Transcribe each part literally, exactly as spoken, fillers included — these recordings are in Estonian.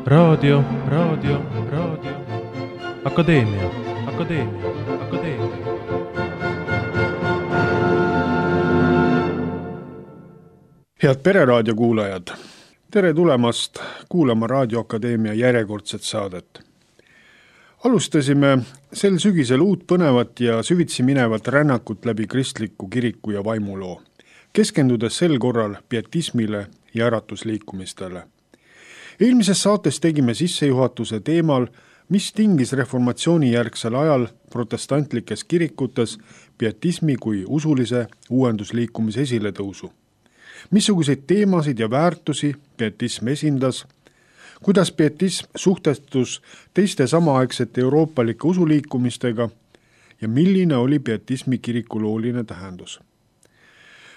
Raadio, raadio, raadio. Akadeemia, akadeemia, akadeemia. Head Pereraadio kuulajad, tere tulemast kuulama Raadio Akadeemia järjekordset saadet. Alustasime sel sügisel uut põnevat ja süvitsi minevat rännakut läbi kristliku kiriku ja vaimuloo, keskendudes sel korral pietismile ja äratusliikumistele. Eelmises saates tegime sissejuhatuse teemal, mis tingis reformatsiooni järgsel ajal protestantlikes kirikutes pietismi kui usulise uuendusliikumise esiletõusu. Missuguseid teemasid ja väärtusi pietism esindas, kuidas pietism suhtestus teiste samaaegsete euroopalike usuliikumistega ja milline oli pietismi kirikulooline tähendus.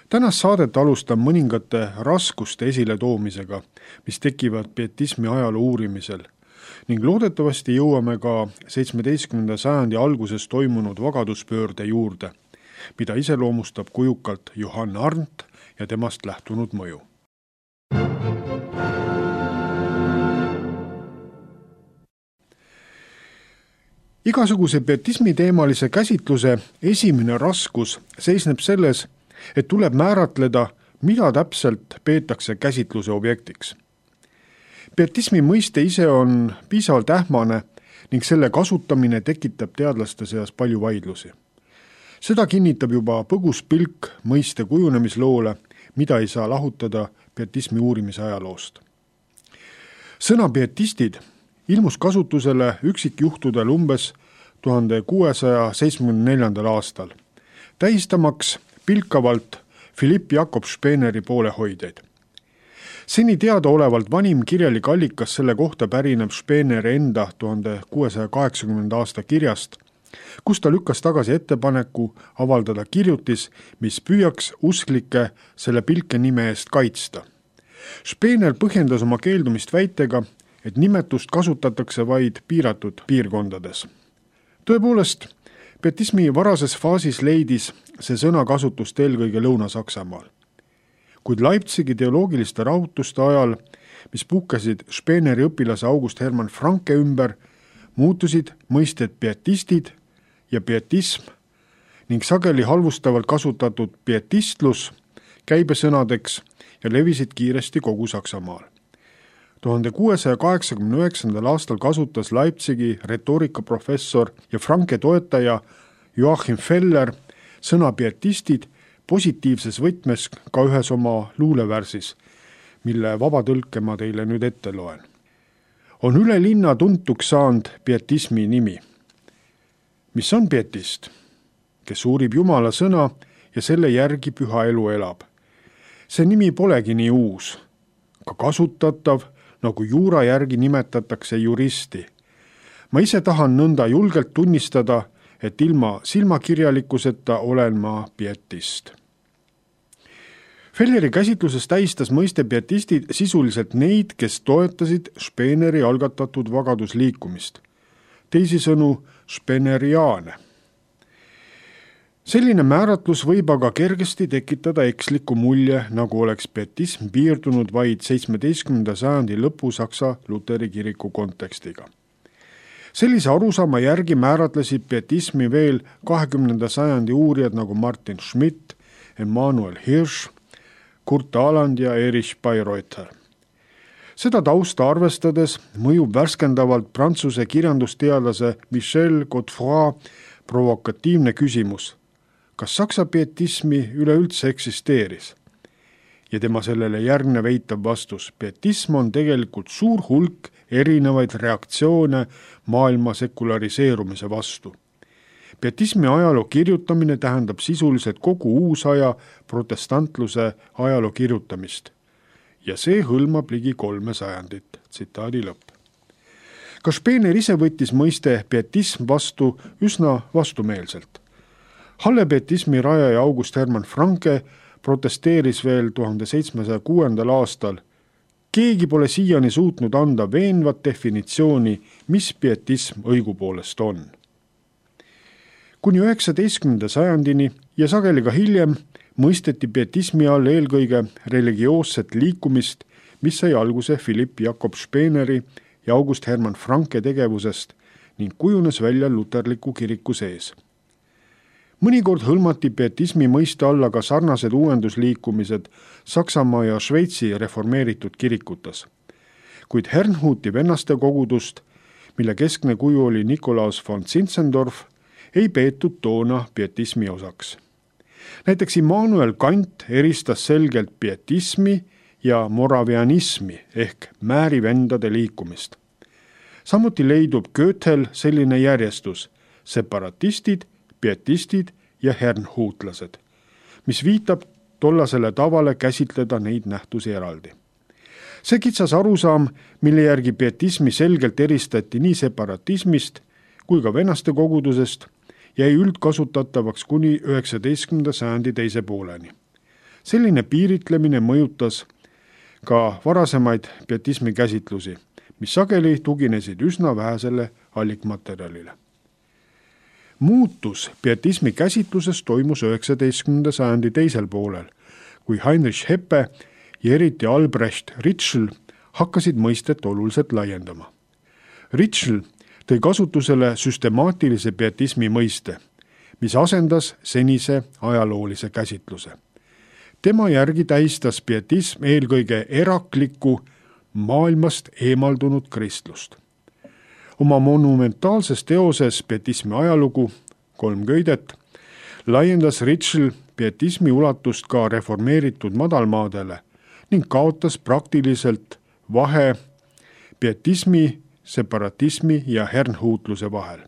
Tänast saadet alustan mõningate raskuste esiletoomisega, mis tekivad pietismi ajaloo uurimisel ning loodetavasti jõuame ka seitsmeteistkümnenda sajandi alguses toimunud vagaduspöörde juurde, mida iseloomustab kujukalt Johann Arndt ja temast lähtunud mõju. Igasuguse pietismi teemalise käsitluse esimene raskus seisneb selles, et tuleb määratleda, mida täpselt peetakse käsitluse objektiks. Pietismi mõiste ise on piisavalt ähmane ning selle kasutamine tekitab teadlaste seas palju vaidlusi. Seda kinnitab juba põgus pilk mõiste kujunemisloole, mida ei saa lahutada pietismi uurimise ajaloost. Sõna pietistid ilmus kasutusele üksikjuhtudel umbes tuhande kuuesaja seitsmekümne neljandal aastal, tähistamaks pilkavalt Philipp Jakob Speeneri poolehoidjaid. Seni teadaolevalt vanim kirjalik allikas selle kohta pärineb Speeneri enda tuhande kuuesaja kaheksakümnenda aasta kirjast, kus ta lükkas tagasi ettepaneku avaldada kirjutis, mis püüaks usklikke selle pilke nime eest kaitsta. Speener põhjendas oma keeldumist väitega, et nimetust kasutatakse vaid piiratud piirkondades. Tõepoolest, pietismi varases faasis leidis see sõna kasutust eelkõige Lõuna-Saksamaal. Kuid Leipzigi teoloogiliste rahutuste ajal, mis puhkesid Speeneri õpilase August Hermann Franke ümber, muutusid mõisted pietistid ja pietism ning sageli halvustavalt kasutatud pietistlus käibesõnadeks ja levisid kiiresti kogu Saksamaal. tuhande kuuesaja kaheksakümne üheksandal aastal kasutas Leipzigi retoorikaprofessor ja Franke toetaja Joachim Feller sõna pietistid positiivses võtmes ka ühes oma luulevärsis, mille vabatõlke ma teile nüüd ette loen. On üle linna tuntuks saanud pietismi nimi. Mis on pietist? Kes uurib Jumala sõna ja selle järgi püha elu elab. See nimi polegi nii uus, ka kasutatav, nagu juura järgi nimetatakse juristi. Ma ise tahan nõnda julgelt tunnistada, et ilma silmakirjalikkuseta olen ma pietist. Felleri käsitluses tähistas mõiste pietistid sisuliselt neid, kes toetasid Speeneri algatatud vagadusliikumist. Teisisõnu speeneriaane. Selline määratlus võib aga kergesti tekitada eksliku mulje, nagu oleks pietism piirdunud vaid seitsmeteistkümnenda sajandi lõpu Saksa Luteri kiriku kontekstiga. Sellise arusaama järgi määratlesid pietismi veel kahekümnenda sajandi uurijad nagu Martin Schmidt, Emanuel Hirsch, Kurt Aland ja Erich Bayreuther. Seda tausta arvestades mõjub värskendavalt prantsuse kirjandusteadlase Michel Godefroy provokatiivne küsimus, kas saksa pietismi üleüldse eksisteeris? Ja tema sellele järgnev eitav vastus, pietism on tegelikult suur hulk erinevaid reaktsioone maailma sekulariseerumise vastu. Pietismi ajaloo kirjutamine tähendab sisuliselt kogu uusaja protestantluse ajaloo kirjutamist. Ja see hõlmab ligi kolme sajandit. Tsitaadi lõpp. Ka Speener ise võttis mõiste pietism vastu üsna vastumeelselt. Halle pietismi rajaja August Hermann Franke protesteeris veel tuhande seitsmesaja kuuendal aastal. Keegi pole siiani suutnud anda veenvat definitsiooni, mis pietism õigupoolest on. Kuni üheksateistkümnenda sajandini ja sageli ka hiljem mõisteti pietismi all eelkõige religioosset liikumist, mis sai alguse Philipp Jakob Speeneri ja August Hermann Franke tegevusest ning kujunes välja luterliku kiriku sees. Mõnikord hõlmati pietismi mõiste alla ka sarnased uuendusliikumised Saksamaa ja Šveitsi reformeeritud kirikutes. Kuid Herrnhuti vennaste kogudust, mille keskne kuju oli Nikolaus von Zinzendorf, ei peetud toona pietismi osaks. Näiteks Immanuel Kant eristas selgelt pietismi ja moravianismi ehk määrivendade liikumist. Samuti leidub Goethel selline järjestus: separatistid, pietistid ja hernhuutlased, mis viitab tollasele tavale käsitleda neid nähtusi eraldi. See kitsas arusaam, mille järgi pietismi selgelt eristati nii separatismist kui ka vennaste kogudusest, jäi üldkasutatavaks kuni üheksateistkümnenda sajandi teise pooleni. Selline piiritlemine mõjutas ka varasemaid pietismi käsitlusi, mis sageli tuginesid üsna vähesele allikmaterjalile. Muutus pietismi käsitluses toimus üheksateistkümnenda sajandi teisel poolel, kui Heinrich Heppe ja eriti Albrecht Ritschl hakkasid mõistet oluliselt laiendama. Ritschl tõi kasutusele süstemaatilise pietismi mõiste, mis asendas senise ajaloolise käsitluse. Tema järgi tähistas pietism eelkõige eraklikku, maailmast eemaldunud kristlust. Oma monumentaalses teoses Pietismi ajalugu, kolm köidet, laiendas Ritschl pietismi ulatust ka reformeeritud madalmaadele ning kaotas praktiliselt vahe pietismi, separatismi ja hernhuutluse vahel.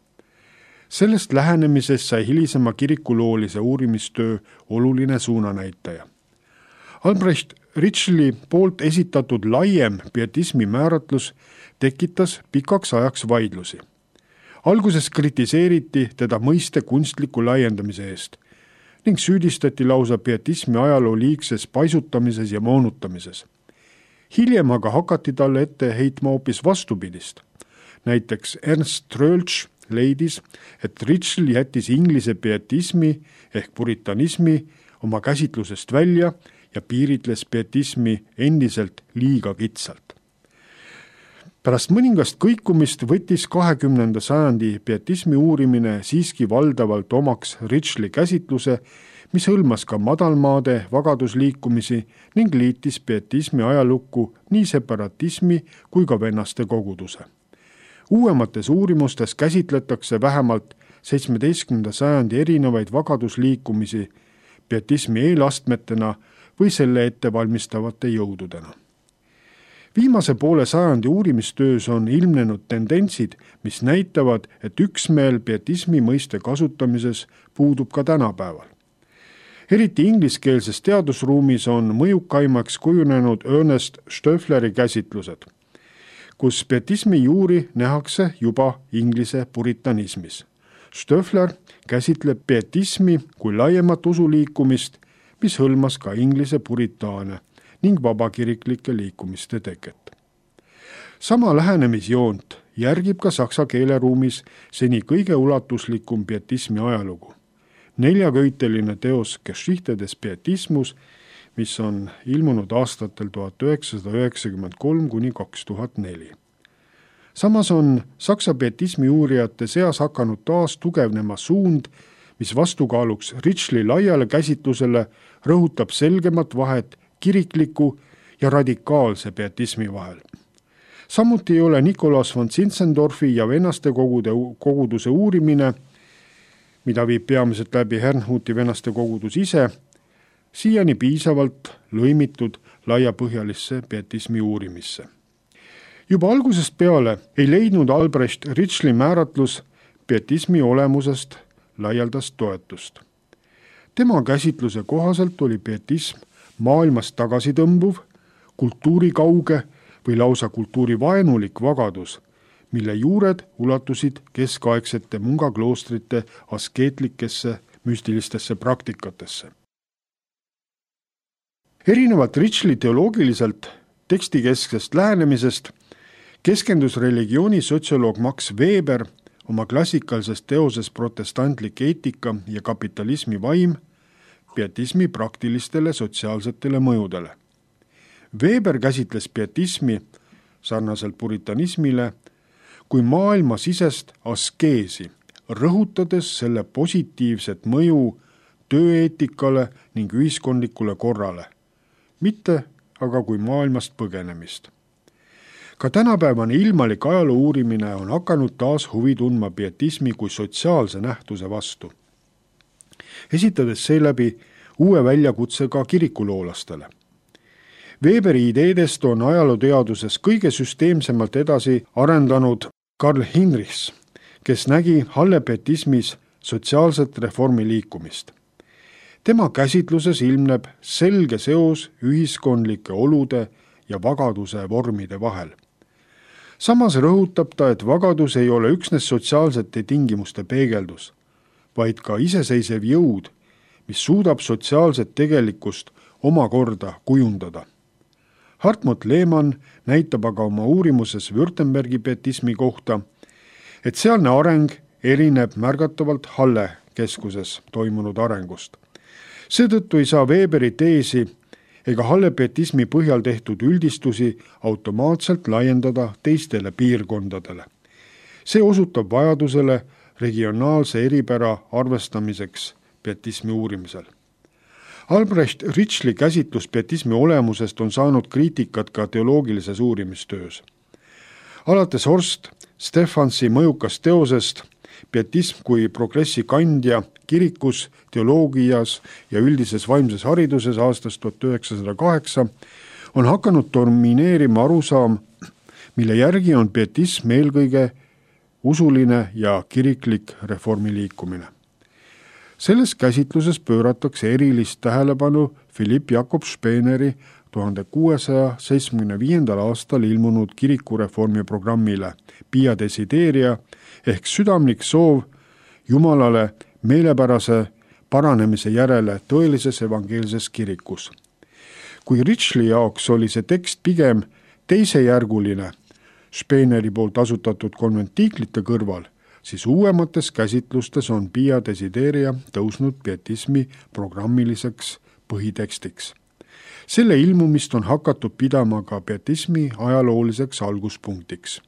Sellest lähenemisest sai hilisema kirikuloolise uurimistöö oluline suunanäitaja. Albrecht Ritschli poolt esitatud laiem pietismi määratlus tekitas pikaks ajaks vaidlusi. Alguses kritiseeriti teda mõiste kunstliku laiendamise eest ning süüdistati lausa pietismi ajaloo liigses paisutamises ja moonutamises. Hiljem aga hakati talle ette heitma hoopis vastupidist. Näiteks Ernst Troeltsch leidis, et Ritschl jättis inglise pietismi ehk puritanismi oma käsitlusest välja ja piiritles pietismi endiselt liiga kitsalt. Pärast mõningast kõikumist võttis kahekümnenda sajandi pietismi uurimine siiski valdavalt omaks Ritschli käsitluse, mis hõlmas ka madalmaade vagadusliikumisi ning liitis pietismi ajalukku nii separatismi kui ka vennaste koguduse. Uuemates uurimustes käsitletakse vähemalt seitsmeteistkümnenda sajandi erinevaid vagadusliikumisi pietismi eelastmetena või selle ettevalmistavate jõududena. Viimase poole sajandi uurimistöös on ilmnenud tendentsid, mis näitavad, et üksmeel pietismi mõiste kasutamises puudub ka tänapäeval. Eriti ingliskeelses teadusruumis on mõjukaimaks kujunenud Ernest Stöffleri käsitlused, kus pietismi juuri nähakse juba inglise puritanismis. Stöffler käsitleb pietismi kui laiemat usuliikumist, mis hõlmas ka inglise puritaane ning vabakiriklike liikumiste teket. Sama lähenemisjoont järgib ka saksa keeleruumis seni kõige ulatuslikum pietismi ajalugu. Neljaköiteline teos Geschichte des Pietismus, mis on ilmunud aastatel tuhat üheksasada üheksakümmend kolm kuni kaks tuhat neli. Samas on saksa pietismi uurijate seas hakanud taas tugevnema suund, mis vastukaaluks Ritschli laiale käsitlusele rõhutab selgemat vahet kirikliku ja radikaalse pietismi vahel. Samuti ei ole Nikolaus von Zinzendorfi ja vennaste kogude, koguduse uurimine, mida viib peamiselt läbi Herrnhuti vennaste kogudus ise, siiani piisavalt lõimitud laiapõhjalisse pietismi uurimisse. Juba algusest peale ei leidnud Albrecht Ritschli määratlus pietismi olemusest laialdast toetust. Tema käsitluse kohaselt oli pietism maailmast tagasi tõmbuv, kultuurikauge või lausa kultuurivaenulik vagadus, mille juured ulatusid keskaegsete mungakloostrite askeetlikesse müstilistesse praktikatesse. Erinevalt Ritschli teoloogiliselt tekstikesksest lähenemisest keskendus religiooni sotsioloog Max Weber oma klassikalises teoses protestantlik eetika ja kapitalismi vaim pietismi praktilistele sotsiaalsetele mõjudele. Weber käsitles pietismi sarnaselt puritanismile, kui maailmasisest askeesi, rõhutades selle positiivset mõju tööeetikale ning ühiskondlikule korrale, mitte aga kui maailmast põgenemist. Ka tänapäevane ilmalik ajaloo uurimine on hakanud taas huvi tundma pietismi kui sotsiaalse nähtuse vastu, esitades seeläbi uue väljakutse ka kirikuloolastele. Weberi ideedest on ajalooteaduses kõige süsteemsemalt edasi arendanud Karl Hinrichs, kes nägi hallepietismis sotsiaalset reformi liikumist. Tema käsitluses ilmneb selge seos ühiskondlike olude ja vagaduse vormide vahel. Samas rõhutab ta, et vagadus ei ole üksnes sotsiaalsete tingimuste peegeldus, vaid ka iseseisev jõud, mis suudab sotsiaalset tegelikkust omakorda kujundada. Hartmut Lehmann näitab aga oma uurimuses Württembergi pietismi kohta, et sealne areng erineb märgatavalt Halle keskuses toimunud arengust. Seetõttu ei saa Weberi teesi ega hallepietismi põhjal tehtud üldistusi automaatselt laiendada teistele piirkondadele. See osutab vajadusele regionaalse eripära arvestamiseks pietismi uurimisel. Albrecht Ritschli käsitlus pietismi olemusest on saanud kriitikat ka teoloogilises uurimistöös. Alates Horst Stefansi mõjukast teosest pietism kui progressi kandja kirikus, teoloogias ja üldises vaimses hariduses aastast tuhat üheksasada kaheksa on hakanud domineerima arusaam, mille järgi on pietism eelkõige usuline ja kiriklik reformiliikumine. Selles käsitluses pööratakse erilist tähelepanu Philipp Jakob Speeneri tuhande kuuesaja seitsmekümne viiendal aastal ilmunud kirikureformi programmile Pia Desideria ehk südamlik soov Jumalale meelepärase paranemise järele tõelises evangeelses kirikus. Kui Ritschli jaoks oli see tekst pigem teisejärguline Speeneri poolt asutatud konventiiklite kõrval, siis uuemates käsitlustes on Pia Desideria tõusnud pietismi programmiliseks põhitekstiks. Selle ilmumist on hakatud pidama ka pietismi ajalooliseks alguspunktiks.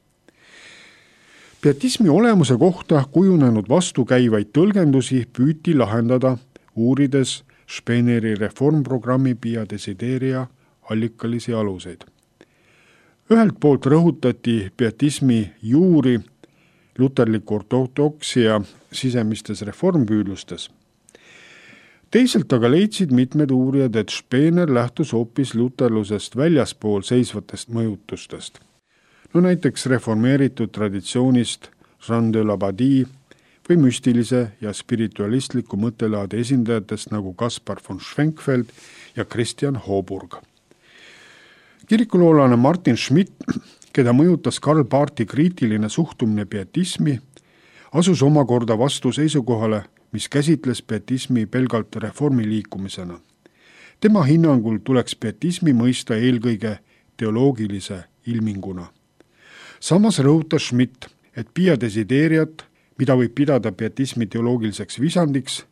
Pietismi olemuse kohta kujunenud vastukäivaid tõlgendusi püüti lahendada, uurides Speeneri reformprogrammi Pia Desideria allikalisi aluseid. Ühelt poolt rõhutati pietismi juuri luterliku ortodoksia sisemistes reformpüüdlustes. Teisalt aga leidsid mitmed uurijad, et Speener lähtus hoopis luterlusest väljaspool seisvatest mõjutustest. No näiteks reformeeritud traditsioonist Jean de l'Abadie või müstilise ja spiritualistliku mõttelaade esindajatest nagu Kaspar von Schwenkfeld ja Christian Hoburg. Kirikuloolane Martin Schmidt, keda mõjutas Karl Barthi kriitiline suhtumine pietismi, asus omakorda vastu seisukohale, mis käsitles pietismi pelgalt reformiliikumisena. Tema hinnangul tuleks pietismi mõista eelkõige teoloogilise ilminguna. Samas rõhutas Schmidt, et Pia Desideriat, mida võib pidada pietismi teoloogiliseks visandiks,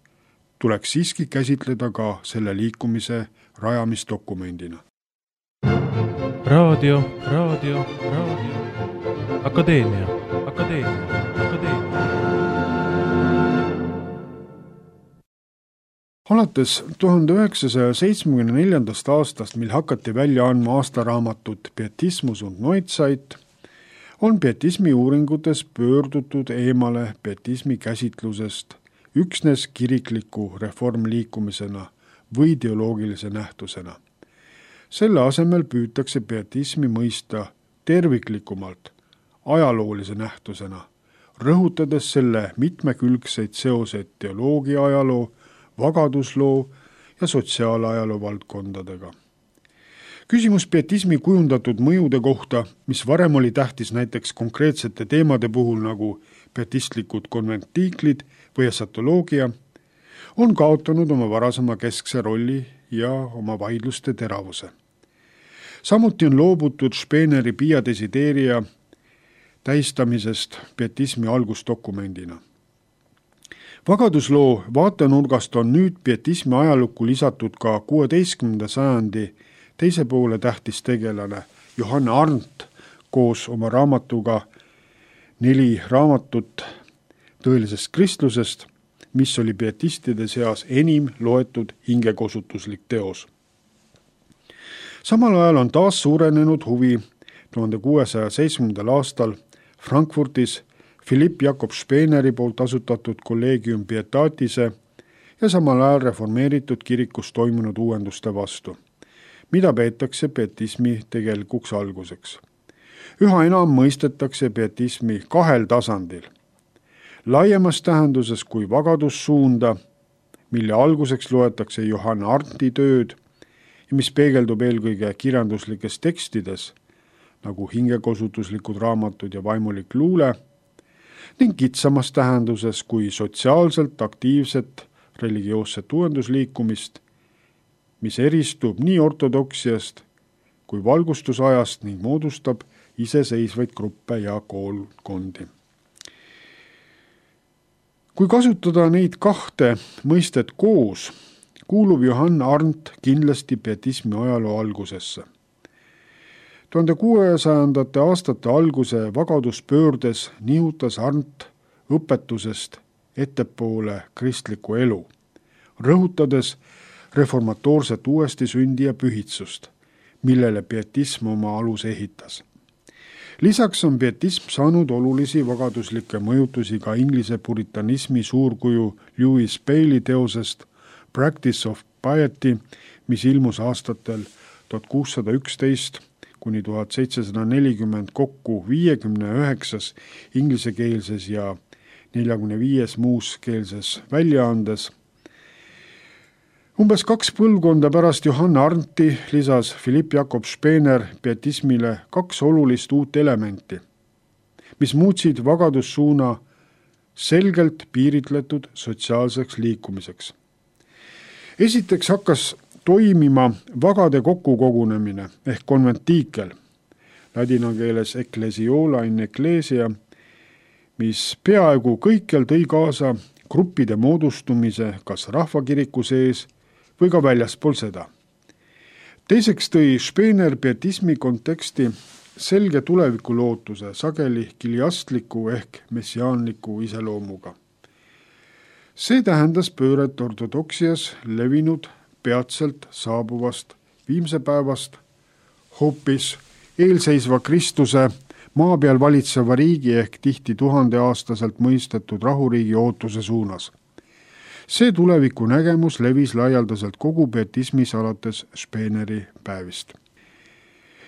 tuleks siiski käsitleda ka selle liikumise rajamisdokumendina. Raadio, raadio, raadio. Akadeemia, akadeemia, akadeemia. Alates tuhande üheksasaja seitsmekümne neljandast aastast, mil hakati välja andma aastaraamatut Pietismus und Neuzeit, on pietismi uuringutes pöördutud eemale pietismi käsitlusest üksnes kirikliku reformliikumisena või teoloogilise nähtusena. Selle asemel püütakse pietismi mõista terviklikumalt ajaloolise nähtusena, rõhutades selle mitmekülgseid seoseid teoloogia ajaloo, vagadusloo ja sotsiaalajaloo valdkondadega. Küsimus pietismi kujundatud mõjude kohta, mis varem oli tähtis näiteks konkreetsete teemade puhul nagu pietistlikud konventiiklid või esatoloogia, on kaotanud oma varasema keskse rolli ja oma vaidluste teravuse. Samuti on loobutud Speeneri Pia Desideria tähistamisest pietismi algusdokumendina. Vagadusloo vaatenurgast on nüüd pietismi ajalukku lisatud ka kuueteistkümnenda sajandi teise poole tähtis tegelane Johanna Arndt koos oma raamatuga Neli raamatut tõelisest kristlusest, mis oli pietistide seas enim loetud hingekosutuslik teos. Samal ajal on taas suurenenud huvi tuhande kuuesaja seitsmendal aastal Frankfurtis Philipp Jakob Speeneri poolt asutatud Collegium Pietatise ja samal ajal reformeeritud kirikus toimunud uuenduste vastu, mida peetakse pietismi tegelikuks alguseks. Üha enam mõistetakse pietismi kahel tasandil. Laiemas tähenduses kui vagadussuunda, mille alguseks loetakse Johann Arndti tööd ja mis peegeldub eelkõige kirjanduslikes tekstides, nagu hingekosutuslikud raamatud ja vaimulik luule, ning kitsamas tähenduses kui sotsiaalselt aktiivset religioosset uuendusliikumist, mis eristub nii ortodoksiast kui valgustusajast ning moodustab iseseisvaid gruppe ja koolkondi. Kui kasutada neid kahte mõistet koos, kuulub Johann Arndt kindlasti pietismi ajaloo algusesse. tuhande kuuesajandate aastate alguse vagaduspöördes nihutas Arndt õpetusest ettepoole kristlikku elu, rõhutades reformatoorset uuesti sündi ja pühitsust, millele pietism oma aluse ehitas. Lisaks on pietism saanud olulisi vagaduslikke mõjutusi ka inglise puritanismi suurkuju Lewis Bailey teosest Practice of Piety, mis ilmus aastatel tuhat kuussada üksteist kuni tuhat seitsesada nelikümmend kokku viiekümne üheksas inglisekeelses ja neljakümne viies muuskeelses väljaandes. Umbes kaks põlvkonda pärast Johann Arndti lisas Philipp Jakob Spener pietismile kaks olulist uut elementi, mis muutsid vagadussuuna selgelt piiritletud sotsiaalseks liikumiseks. Esiteks hakkas toimima vagade kokkukogunemine ehk konventiikel, ladina keeles ecclesiola in ecclesia, mis peaaegu kõikjal tõi kaasa gruppide moodustumise kas rahvakiriku sees või ka väljaspool seda. Teiseks tõi Spener pietismi konteksti selge tulevikulootuse sageli kiliastliku ehk messiaanliku iseloomuga. See tähendas pööret ortodoksias levinud peatselt saabuvast viimse päevast hoopis eelseisva Kristuse maa peal valitseva riigi ehk tihti tuhandeaastaselt mõistetud rahuriigi ootuse suunas. See tuleviku nägemus levis laialdaselt kogu pietismis alates Speneri päevist.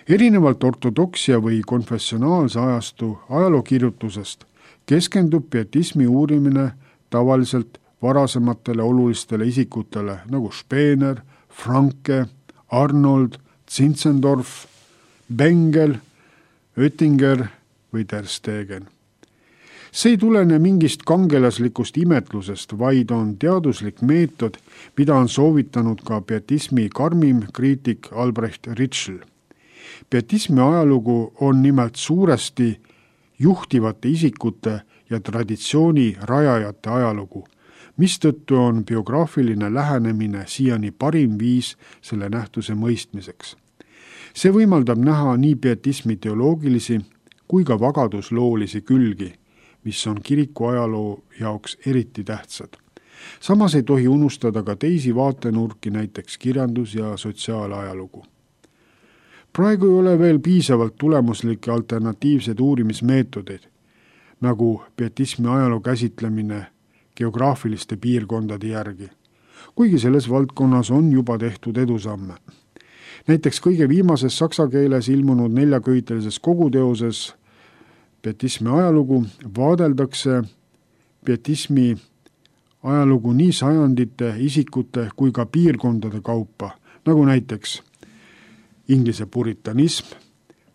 Erinevalt ortodoksia või konfessionaalse ajastu ajalookirjutusest keskendub pietismi uurimine tavaliselt varasematele olulistele isikutele nagu Spener, Franke, Arnold, Zinzendorf, Bengel, Oettinger või Der Stegen. See ei tulene mingist kangelaslikust imetlusest, vaid on teaduslik meetod, mida on soovitanud ka pietismi karmim kriitik Albrecht Ritschl. Pietismi ajalugu on nimelt suuresti juhtivate isikute ja traditsiooni rajajate ajalugu, mistõttu on biograafiline lähenemine siiani parim viis selle nähtuse mõistmiseks. See võimaldab näha nii pietismi teoloogilisi kui ka vagadusloolisi külgi, mis on kiriku ajaloo jaoks eriti tähtsad. Samas ei tohi unustada ka teisi vaatenurki, näiteks kirjandus- ja sotsiaalajalugu. Praegu ei ole veel piisavalt tulemuslikke alternatiivseid uurimismeetodeid, nagu pietismi ajaloo käsitlemine geograafiliste piirkondade järgi, kuigi selles valdkonnas on juba tehtud edusamme. Näiteks kõige viimases saksa keeles ilmunud neljaköitelises koguteoses pietismi ajalugu vaadeldakse pietismi ajalugu nii sajandite, isikute kui ka piirkondade kaupa, nagu näiteks Inglise puritanism,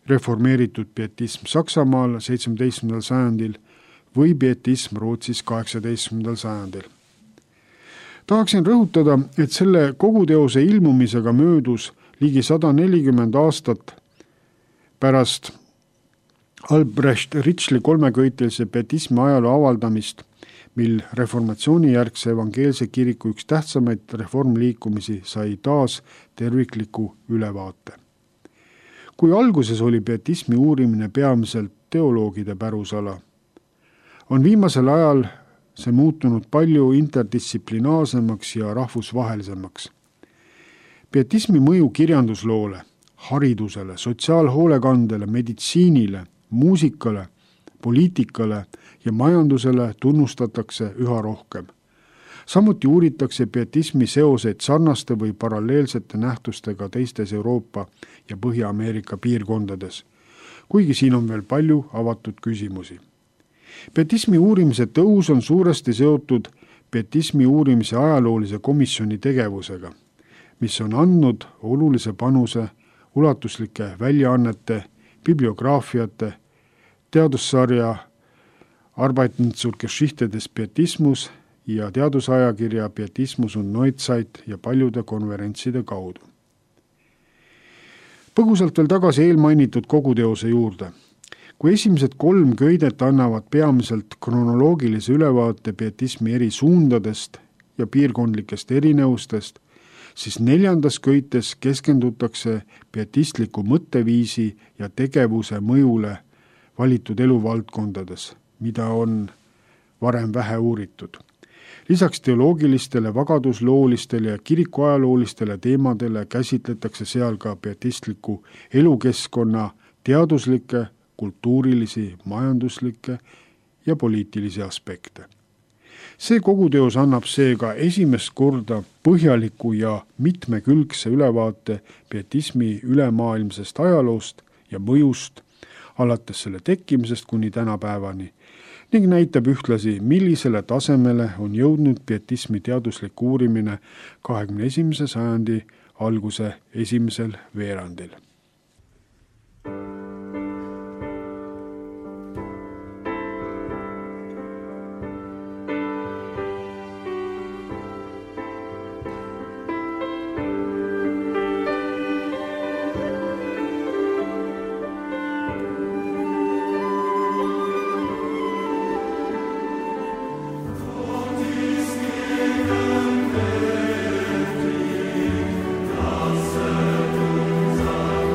reformeeritud pietism Saksamaal seitsmeteistkümnendal sajandil või pietism Rootsis kaheksateistkümnendal sajandil. Tahaksin rõhutada, et selle koguteose ilmumisega möödus ligi sada nelikümmend aastat pärast Albrecht Ritschli kolmeköitelise pietismi ajaloo avaldamist, mil reformatsioonijärgse evangeelse kiriku üks tähtsamaid reformliikumisi sai taas tervikliku ülevaate. kui alguses oli pietismi uurimine peamiselt teoloogide pärusala, on viimasel ajal see muutunud palju interdistsiplinaarsemaks ja rahvusvahelisemaks. Pietismi mõju kirjandusloole, haridusele, sotsiaalhoolekandele, meditsiinile, muusikale, poliitikale ja majandusele tunnustatakse üha rohkem. Samuti uuritakse pietismi seoseid sarnaste või paralleelsete nähtustega teistes Euroopa ja Põhja-Ameerika piirkondades, kuigi siin on veel palju avatud küsimusi. Pietismi uurimise tõus on suuresti seotud pietismi uurimise ajaloolise komisjoni tegevusega, mis on andnud olulise panuse ulatuslike väljaannete, bibliograafiate, teadussarja Arbeiten zur Geschichte des Pietismus ja teadusajakirja Pietismus und Neuzeit ja paljude konverentside kaudu. Põgusalt veel tagasi eelmainitud koguteose juurde. Kui esimesed kolm köidet annavad peamiselt kronoloogilise ülevaate pietismi eri suundadest ja piirkondlikest erinevustest, siis neljandas köites keskendutakse pietistliku mõtteviisi ja tegevuse mõjule valitud eluvaldkondades, mida on varem vähe uuritud. Lisaks teoloogilistele, vagadusloolistele ja kirikuajaloolistele teemadele käsitletakse seal ka pietistliku elukeskkonna teaduslikke, kultuurilisi, majanduslikke ja poliitilisi aspekte. See koguteos annab seega esimest korda põhjaliku ja mitmekülgse ülevaate pietismi ülemaailmsest ajaloost ja mõjust alates selle tekkimisest kuni tänapäevani ning näitab ühtlasi, millisele tasemele on jõudnud pietismi teaduslik uurimine kahekümne esimese sajandi alguse esimesel veerandil. Lasset uns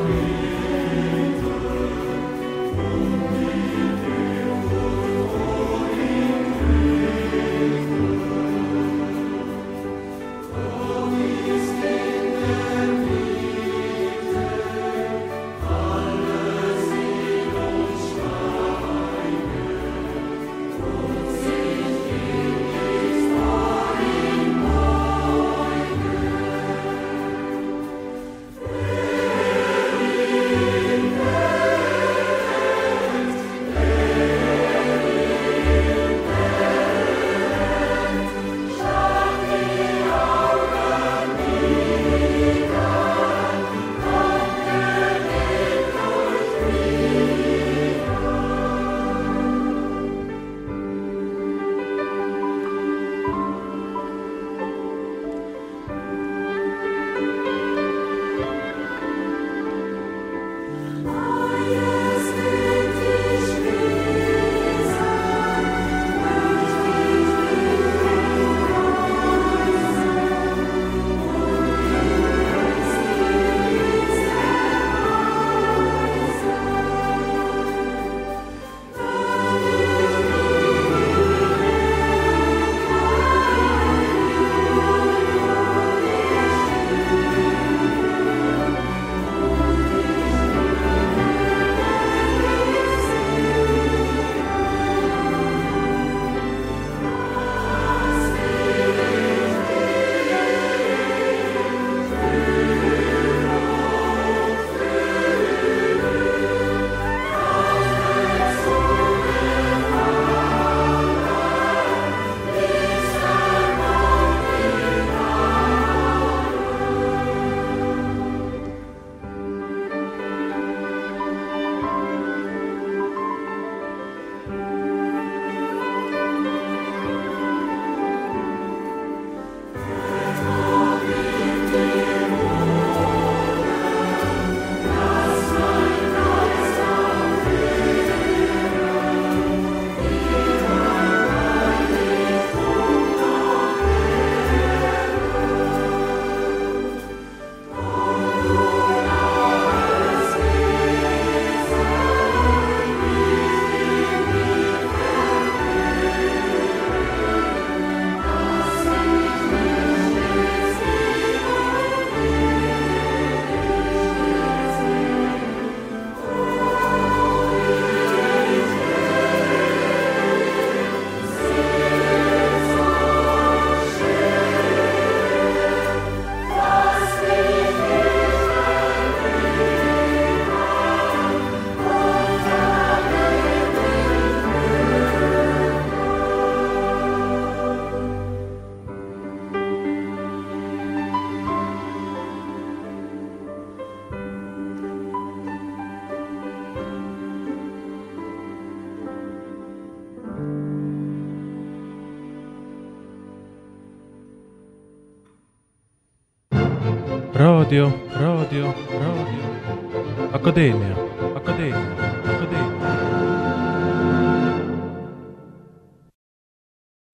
raadio, raadio, raadio, Akadeemia, Akadeemia, Akadeemia.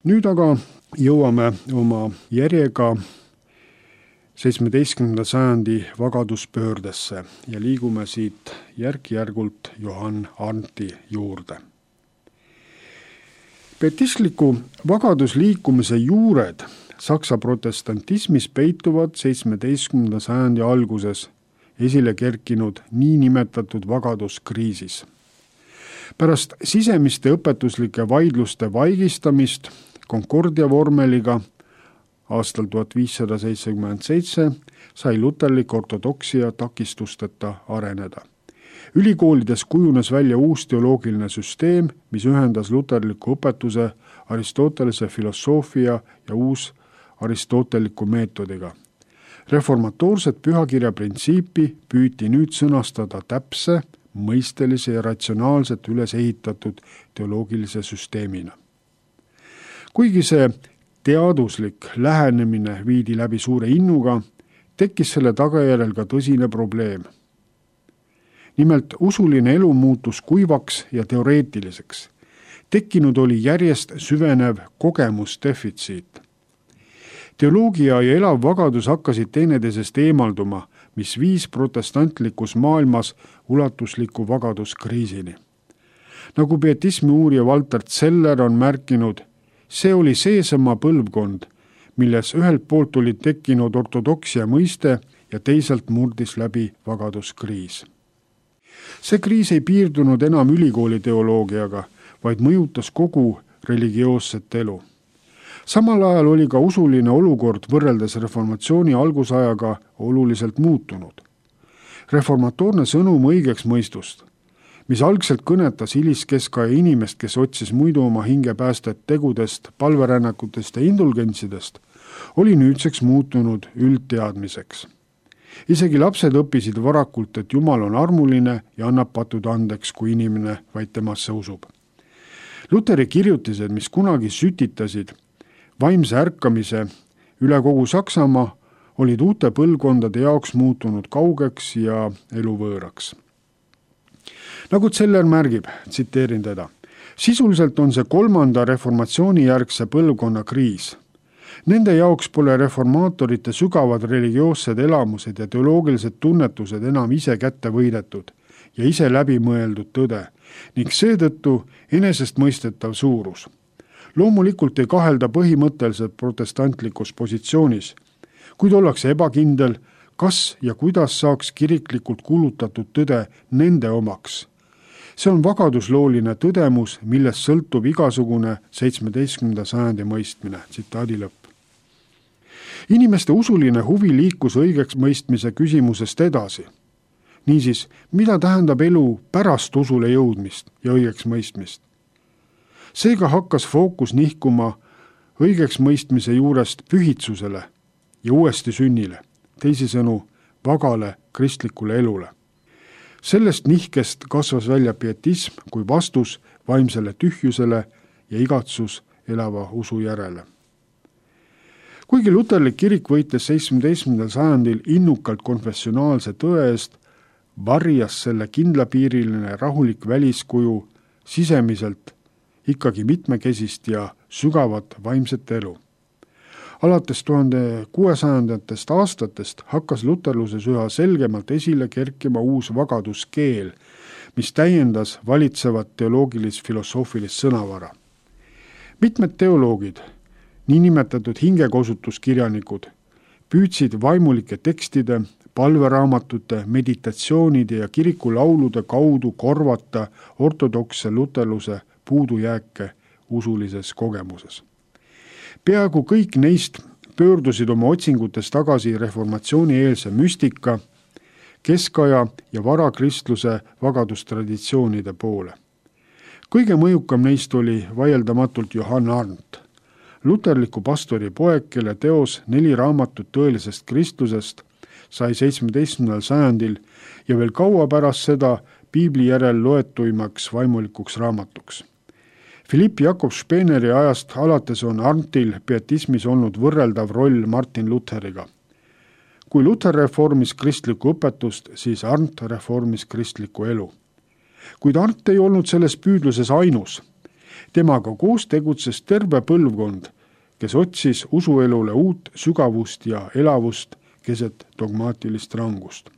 nüüd aga jõuame oma järjega seitsmeteistkümnenda sajandi vagaduspöördesse ja liigume siit järk-järgult Johann Arndti juurde. Pietistliku vagadusliikumise juured Saksa protestantismis peituvad seitsmeteistkümnenda sajandi alguses esile kerkinud niinimetatud vagaduskriisis. Pärast sisemiste õpetuslike vaidluste vaigistamist Concordia vormeliga aastal tuhat viissada seitsekümmend seitse sai luterlik ortodoksia takistusteta areneda. Ülikoolides kujunes välja uus teoloogiline süsteem, mis ühendas luterliku õpetuse, Aristotelese filosoofia ja uus aristoteliku meetodiga. Reformatoorset pühakirja printsiipi püüti nüüd sõnastada täpse, mõistelise ja ratsionaalselt üles ehitatud teoloogilise süsteemina. Kuigi see teaduslik lähenemine viidi läbi suure innuga, tekkis selle tagajärjel ka tõsine probleem. Nimelt usuline elu muutus kuivaks ja teoreetiliseks. Tekkinud oli järjest süvenev kogemusdefitsiit. Teoloogia ja elav vagadus hakkasid teineteisest eemalduma, mis viis protestantlikus maailmas ulatusliku vagaduskriisini. Nagu pietismi uurija Walter Zeller on märkinud, see oli seesama põlvkond, milles ühelt poolt oli tekkinud ortodoksia mõiste ja teisalt murdis läbi vagaduskriis. See kriis ei piirdunud enam ülikooli teoloogiaga, vaid mõjutas kogu religioosset elu. Samal ajal oli ka usuline olukord võrreldes reformatsiooni algusajaga oluliselt muutunud. Reformatoorne sõnum õigeks mõistust, mis algselt kõnetas hiliskeskaja inimest, kes otsis muidu oma hinge päästet tegudest, palverännakutest ja indulgentsidest, oli nüüdseks muutunud üldteadmiseks. Isegi lapsed õppisid varakult, et Jumal on armuline ja annab patud andeks, kui inimene vaid temasse usub. Luteri kirjutised, mis kunagi sütitasid vaimse ärkamise üle kogu Saksamaa, olid uute põlvkondade jaoks muutunud kaugeks ja eluvõõraks. Nagu Zeller märgib, tsiteerin teda, sisuliselt on see kolmanda reformatsiooni järgse põlvkonna kriis. Nende jaoks pole reformaatorite sügavad religioossed elamused ja teoloogilised tunnetused enam ise kätte võidetud ja ise läbimõeldud tõde ning seetõttu enesestmõistetav suurus. Loomulikult ei kahelda põhimõtteliselt protestantlikus positsioonis, kuid ollakse ebakindel, kas ja kuidas saaks kiriklikult kuulutatud tõde nende omaks. See on vagaduslooline tõdemus, millest sõltub igasugune seitsmeteistkümnenda sajandi mõistmine. Tsitaadi lõpp. Inimeste usuline huvi liikus õigeks mõistmise küsimusest edasi. Niisiis, mida tähendab elu pärast usule jõudmist ja õigeks mõistmist? Seega hakkas fookus nihkuma õigeks mõistmise juurest pühitsusele ja uuesti sünnile, teisisõnu vagale kristlikule elule. Sellest nihkest kasvas välja pietism kui vastus vaimsele tühjusele ja igatsus elava usu järele. Kuigi luterlik kirik võitles seitsmeteistkümnendal sajandil innukalt konfessionaalse tõe eest, varjas selle kindlapiiriline rahulik väliskuju sisemiselt ikkagi mitmekesist ja sügavat vaimset elu. Alates tuhande kuuesajandatest aastatest hakkas luterluses üha selgemalt esile kerkima uus vagaduskeel, mis täiendas valitsevat teoloogilis-filosoofilist sõnavara. Mitmed teoloogid, niinimetatud hingekosutuskirjanikud, püüdsid vaimulike tekstide, palveraamatute, meditatsioonide ja kirikulaulude kaudu korvata ortodoksse luterluse puudujääke usulises kogemuses. Peaaegu kõik neist pöördusid oma otsingutes tagasi reformatsiooni-eelse müstika, keskaja ja varakristluse vagadustraditsioonide poole. Kõige mõjukam neist oli vaieldamatult Johann Arndt, luterliku pastori poeg, kelle teos Neli raamatut tõelisest kristlusest sai seitsmeteistkümnendal sajandil ja veel kaua pärast seda piibli järel loetuimaks vaimulikuks raamatuks. Philipp Jakob Speneri ajast alates on Arndtil pietismis olnud võrreldav roll Martin Lutheriga. kui Luther reformis kristlikku õpetust, siis Arndt reformis kristlikku elu. Kuid Arndt ei olnud selles püüdluses ainus. Temaga koos tegutses terve põlvkond, kes otsis usuelule uut sügavust ja elavust keset dogmaatilist rangust.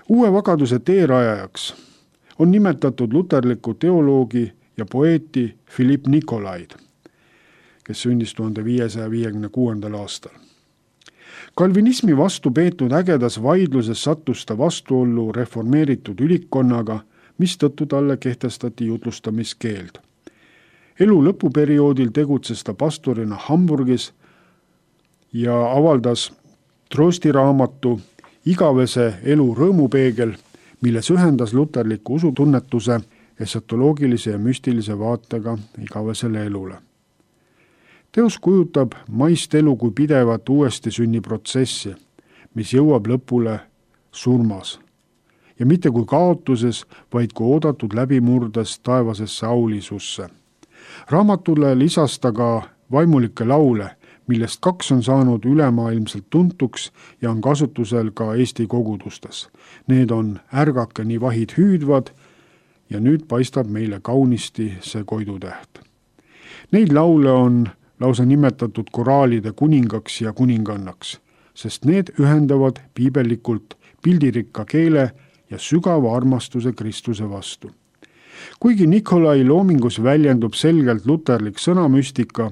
Uue vagaduse teerajajaks on nimetatud luterliku teoloogi ja poeeti Philipp Nikolaid, kes sündis tuhande viiesaja viiekümne kuuendal aastal. Kalvinismi vastu peetud ägedas vaidluses sattus ta vastuollu reformeeritud ülikkonnaga, mistõttu talle kehtestati jutlustamiskeeld. Elu lõpuperioodil tegutses ta pastorina Hamburgis ja avaldas Troosti raamatu Igavese elu rõõmupeegel, milles ühendas luterliku usutunnetuse esotoloogilise ja müstilise vaatega igavesele elule. Teos kujutab maist elu kui pidevat uuesti sünniprotsessi, mis jõuab lõpule surmas. Ja mitte kui kaotuses, vaid kui oodatud läbimurdes taevasesse aulisusse. Raamatule lisas ta ka vaimulikke laule, millest kaks on saanud ülemaailmselt tuntuks ja on kasutusel ka Eesti kogudustes. Need on Ärgake nii vahid hüüdvad ja nüüd paistab meile kaunisti see koidutäht. Neid laule on lausa nimetatud koraalide kuningaks ja kuningannaks, sest need ühendavad piibellikult pildirikka keele ja sügava armastuse Kristuse vastu. Kuigi Nikolai loomingus väljendub selgelt luterlik sõnamüstika,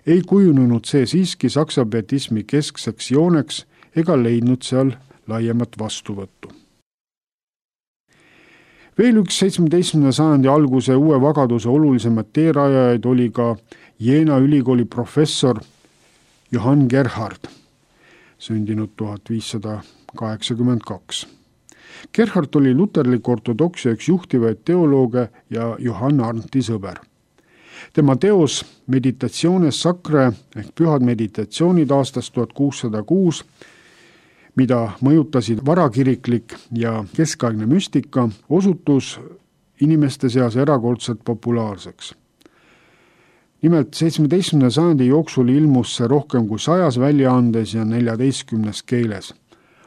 ei kujunenud see siiski saksa pietismi keskseks jooneks ega leidnud seal laiemat vastuvõttu. Veel üks seitsmeteistkümnenda sajandi alguse uue vagaduse olulisemad teerajajaid oli ka Jeena ülikooli professor Johann Gerhard, sündinud tuhat viissada kaheksakümmend kaks. Gerhard oli luterliku ortodoksia üks juhtivaid teolooge ja Johann Arndti sõber. Tema teos Meditationes Sacrae ehk pühad meditatsioonid aastast tuhat kuussada kuus, mida mõjutasid varakiriklik ja keskaegne müstika, osutus inimeste seas erakordselt populaarseks. Nimelt seitsmeteistkümnenda sajandi jooksul ilmus see rohkem kui sajas väljaandes ja neljateistkümnes keeles,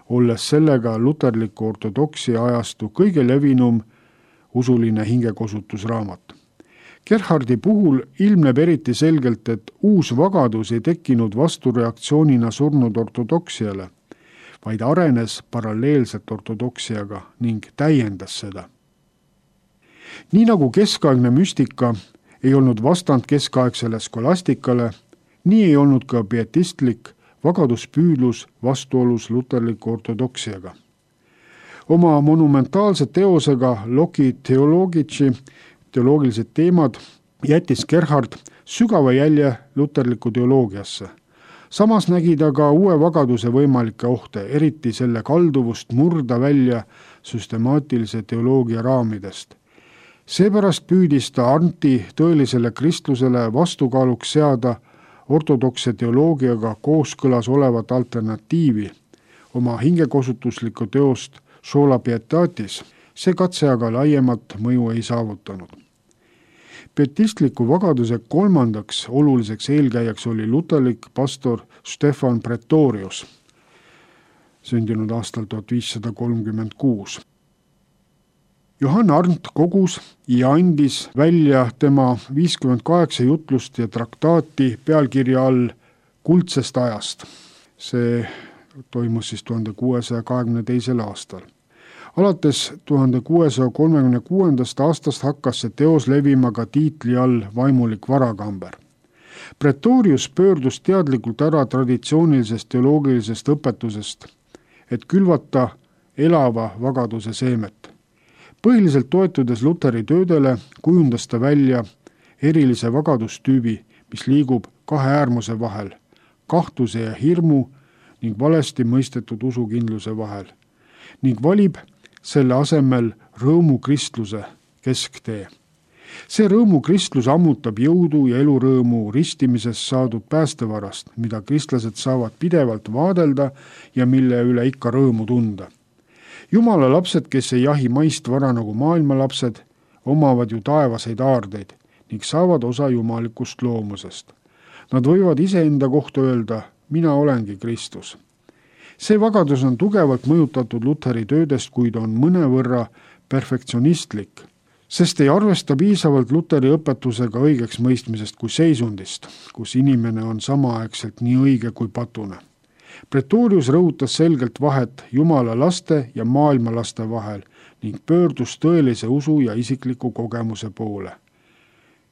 olles sellega luterliku ortodoksia ajastu kõige levinum usuline hingekosutusraamat. Gerhardi puhul ilmneb eriti selgelt, et uus vagadus ei tekkinud vastureaktsioonina surnud ortodoksiale, vaid arenes paralleelselt ortodoksiaga ning täiendas seda. Nii nagu keskaegne müstika ei olnud vastand keskaegsele skolastikale, nii ei olnud ka pietistlik vagaduspüüdlus vastuolus luterliku ortodoksiaga. Oma monumentaalse teosega Loci Theologici teoloogilised teemad jättis Gerhard sügava jälje luterliku teoloogiasse. Samas nägi ta ka uue vagaduse võimalikke ohte, eriti selle kalduvust murda välja süstemaatilise teoloogia raamidest. Seepärast püüdis ta Arndti tõelisele kristlusele vastukaaluks seada ortodokse teoloogiaga kooskõlas olevat alternatiivi oma hingekosutuslikku teost Sola Pietatis. See katse aga laiemat mõju ei saavutanud. Pietistliku vagaduse kolmandaks oluliseks eelkäijaks oli luterlik pastor Stefan Pretorius, sündinud aastal tuhat viissada kolmkümmend kuus. Johann Arndt kogus ja andis välja tema viiskümmend kaheksa jutlust ja traktaati pealkirja all Kuldsest ajast. See toimus siis tuhande kuuesaja kahekümne teisel aastal. Alates tuhande kuuesaja kolmekümne kuuendast aastast hakkas see teos levima ka tiitli all Vaimulik varakamber. Pretorius pöördus teadlikult ära traditsioonilisest teoloogilisest õpetusest, et külvata elava vagaduse seemet. Põhiliselt toetudes Luteri töödele kujundas ta välja erilise vagadustüübi, mis liigub kahe äärmuse vahel, kahtluse ja hirmu ning valesti mõistetud usukindluse vahel, ning valib selle asemel rõõmu kristluse kesktee. See rõõmu kristlus ammutab jõudu ja elurõõmu ristimisest saadud päästevarast, mida kristlased saavad pidevalt vaadelda ja mille üle ikka rõõmu tunda. Jumala lapsed, kes ei jahi maist vara nagu maailma lapsed, omavad ju taevaseid aardeid ning saavad osa jumalikust loomusest. Nad võivad iseenda kohta öelda, mina olengi Kristus. see vagadus on tugevalt mõjutatud Luteri töödest, kuid on mõnevõrra perfektsionistlik, sest ei arvesta piisavalt Luteri õpetusega õigeks mõistmisest kui seisundist, kus inimene on samaaegselt nii õige kui patune. Pretorius rõhutas selgelt vahet Jumala laste ja maailma laste vahel ning pöördus tõelise usu ja isikliku kogemuse poole.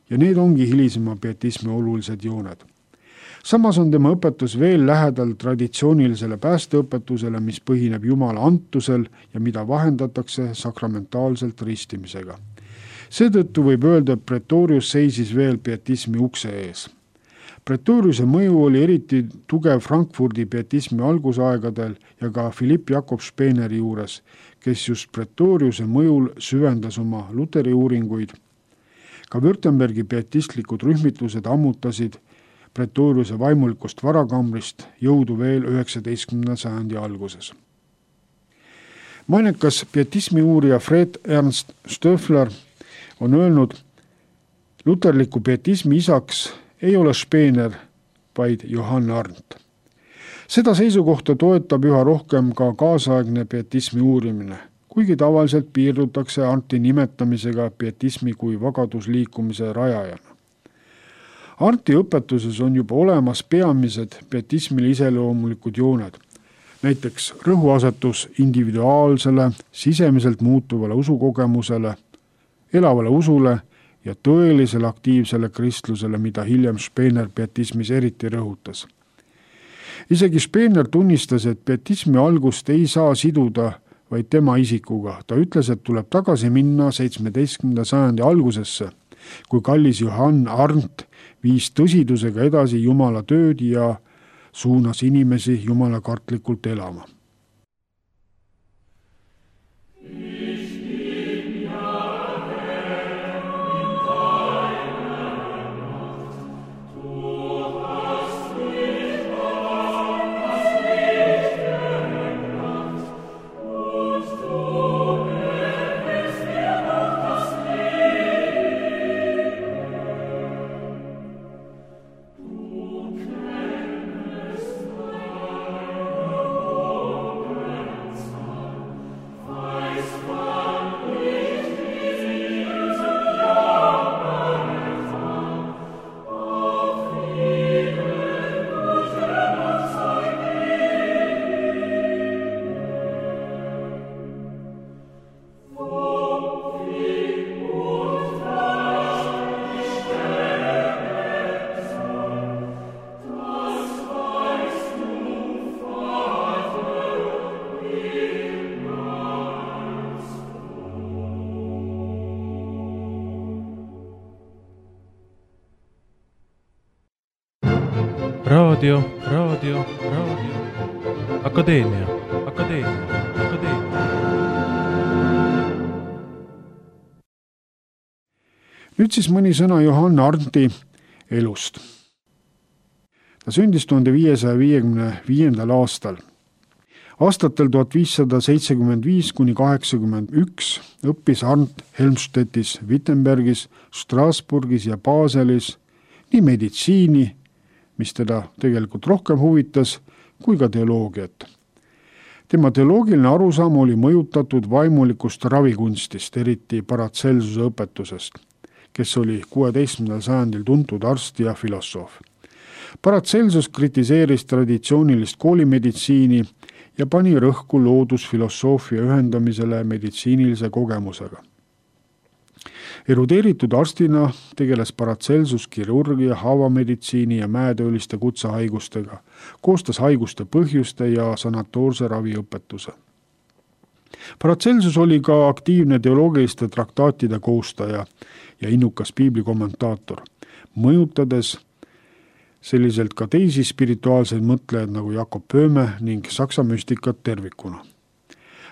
Ja need ongi hilisema pietismi olulised jooned. Samas on tema õpetus veel lähedal traditsioonilisele päästeõpetusele, mis põhineb Jumala antusel ja mida vahendatakse sakramentaalselt ristimisega. Seetõttu võib öelda, et Pretorius seisis veel pietismi ukse ees. Pretoriuse mõju oli eriti tugev Frankfurdi pietismi algusaegadel ja ka Philipp Jakob Speeneri juures, kes just Pretoriuse mõjul süvendas oma Luteri uuringuid. Ka Württembergi pietistlikud rühmitlused ammutasid Pretoriuse vaimulikust varakambrist jõudu veel üheksateistkümnenda sajandi alguses. Mainekas pietismi uurija Fred Ernst Stöffler on öelnud, luterliku pietismi isaks ei ole Speener, vaid Johann Arndt. Seda seisukohta toetab üha rohkem ka kaasaegne pietismi uurimine, kuigi tavaliselt piirdutakse Arndti nimetamisega pietismi kui vagadusliikumise rajajana. Arndti õpetuses on juba olemas peamised pietismile iseloomulikud jooned, näiteks rõhuasetus individuaalsele, sisemiselt muutuvale usukogemusele, elavale usule ja tõelisele aktiivsele kristlusele, mida hiljem Speener pietismis eriti rõhutas. Isegi Speener tunnistas, et pietismi algust ei saa siduda vaid tema isikuga. Ta ütles, et tuleb tagasi minna seitsmeteistkümnenda sajandi algusesse, kui kallis Johann Arndt viis tõsidusega edasi Jumala tööd ja suunas inimesi Jumala kartlikult elama. Raadio, raadio, raadio. Akadeemia, akadeemia, akadeemia. Nüüd siis mõni sõna Johann Arndti elust. Ta sündis tuhande viiesaja viiekümne viiendal aastal. Aastatel tuhat viissada seitsekümmend viis kuni kaheksakümmend üks õppis Arndt Helmstedtis, Wittenbergis, Strasbourgis ja Baselis nii meditsiini, mis teda tegelikult rohkem huvitas, kui ka teoloogiat. Tema teoloogiline arusaam oli mõjutatud vaimulikust ravikunstist, eriti Paracelsuse õpetusest, kes oli kuueteistkümnendal sajandil tuntud arst ja filosoof. Paracelsus kritiseeris traditsioonilist koolimeditsiini ja pani rõhku loodusfilosoofia ühendamisele meditsiinilise kogemusega. Erudeeritud arstina tegeles Paracelsus kirurgia, haavameditsiini ja mäetööliste kutsehaigustega, koostas haiguste põhjuste ja sanatoorse raviõpetuse. Paracelsus oli ka aktiivne teoloogiliste traktaatide koostaja ja innukas piiblikommentaator, mõjutades selliselt ka teisi spirituaalseid mõtlejaid nagu Jakob Böhme ning saksa müstikat tervikuna.